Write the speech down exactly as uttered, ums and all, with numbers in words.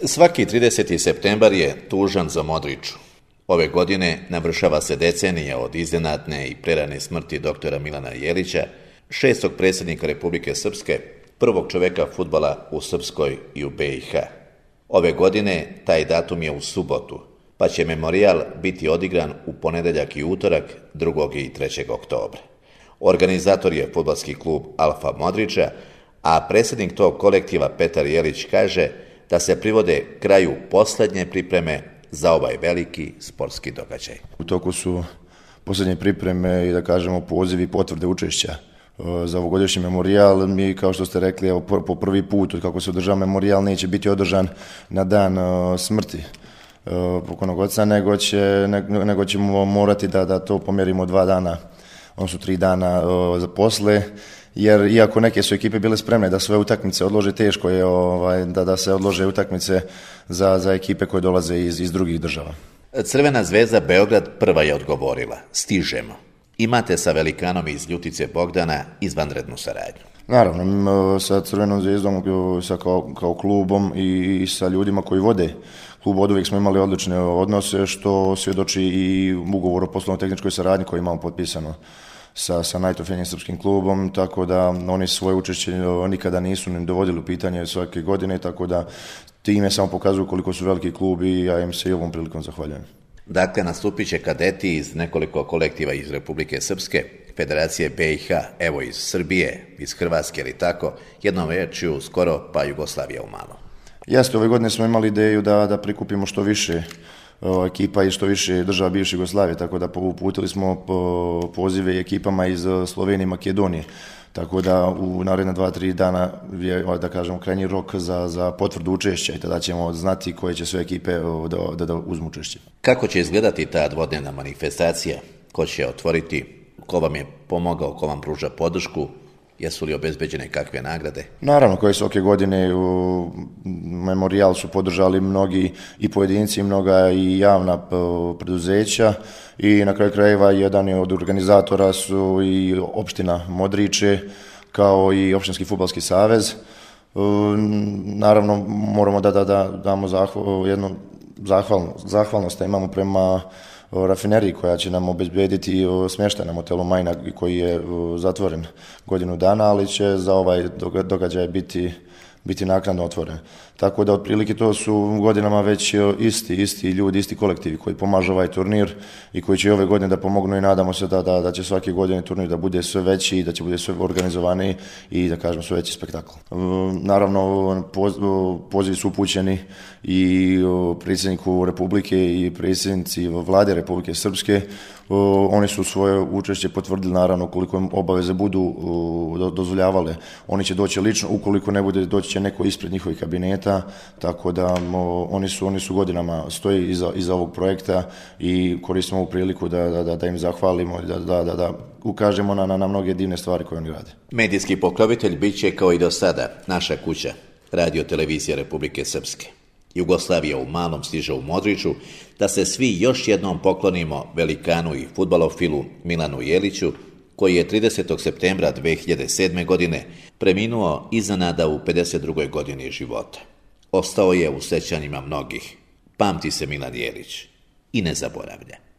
Svaki trideseti septembar je tužan za Modriću. Ove godine navršava se decenija od iznenadne i prerane smrti doktora Milana Jelića, šestog predsjednika Republike Srpske, prvog čoveka fudbala u Srpskoj i u be i ha. Ove godine taj datum je u subotu, pa će memorijal biti odigran u ponedeljak i utorak, drugog i trećeg oktobra. Organizator je fudbalski klub Alfa Modrića, a predsjednik tog kolektiva Petar Jelić kaže da se privode kraju posljednje pripreme za ovaj veliki sportski događaj. U toku su posljednje pripreme i da kažemo pozivi i potvrde učešća za ovogodišnji memorijal. Mi, kao što ste rekli, evo, po prvi put kako se održava memorijal neće biti održan na dan smrti pokojnog oca, nego, će, nego ćemo morati da, da to pomjerimo dva dana, odnosno tri dana za posle. Jer iako neke su ekipe bile spremne da sve utakmice odlože, teško je ovaj, da, da se odlože utakmice za, za ekipe koje dolaze iz, iz drugih država. Crvena zvezda Beograd prva je odgovorila: stižemo. Imate sa velikanom iz Ljutice Bogdana izvanrednu saradnju. Naravno, sa Crvenom zvijezdom, sa kao, kao klubom i, i sa ljudima koji vode klub od uvijek smo imali odlične odnose, što svjedoči i ugovor o poslovno-tehničkoj saradnji koji imamo potpisano sa, sa najtrofejnijim srpskim klubom, tako da oni svoje učešće nikada nisu ni dovodili u pitanje svake godine, tako da time samo pokazuju koliko su veliki klub i ja im se i ovom prilikom zahvaljujem. Dakle, nastupit će kadeti iz nekoliko kolektiva iz Republike Srpske, Federacije be i ha, evo iz Srbije, iz Hrvatske ili tako, jednom rečju skoro pa Jugoslavija u malom. Jeste, ove godine smo imali ideju da, da prikupimo što više ekipa i što više država bivše Jugoslavije, tako da uputili smo pozive ekipama iz Slovenije i Makedonije, tako da u naredna dva, tri dana je, da kažemo, krajnji rok za, za potvrdu učešća i tada ćemo znati koje će sve ekipe da, da, da uzmu učešće. Kako će izgledati ta dvodnevna manifestacija? Ko će otvoriti? Ko vam je pomogao? Ko vam pruža podršku? Jesu li obezbeđene kakve nagrade? Naravno, koje svake godine u memorijal su podržali mnogi i pojedinci, mnoga i javna preduzeća i na kraju krajeva jedan od organizatora su i opština Modriće kao i opštinski fudbalski savez. Naravno, moramo da, da, da damo zahval, jednu zahvalnost, zahvalnost da imamo prema rafineriji koja će nam obezbediti smještaj na motelu Majna koji je zatvoren godinu dana, ali će za ovaj događaj biti, biti naknadno otvoren. Tako da otprilike to su godinama već isti, isti ljudi, isti kolektivi koji pomažu ovaj turnir i koji će ove godine da pomognu i nadamo se da, da, da će svake godine turnir da bude sve veći i da će bude sve organizovaniji i da kažem sve veći spektakl. Naravno, pozivi su upućeni i predsjedniku Republike i predsjednici vlade Republike Srpske. Oni su svoje učešće potvrdili, naravno, koliko im obaveze budu dozvoljavale. Oni će doći lično, ukoliko ne bude, doći će neko ispred njihovih kabineta, tako da oni su, oni su godinama stoji iza, iza ovog projekta i koristimo ovu priliku da, da, da im zahvalimo i da, da, da, da ukažemo na, na, na mnoge divne stvari koje oni rade. Medijski pokrovitelj bit će kao i do sada naša kuća, Radio Televizija Republike Srpske. Jugoslavija u malom stiže u Modriću, da se svi još jednom poklonimo velikanu i fudbalofilu Milanu Jeliću, koji je tridesetog septembra dve hiljade sedme. godine preminuo iznenada u pedeset drugoj godini života. Ostao je u sećanjima mnogih. Pamti se Milan Jelić i ne zaboravlja.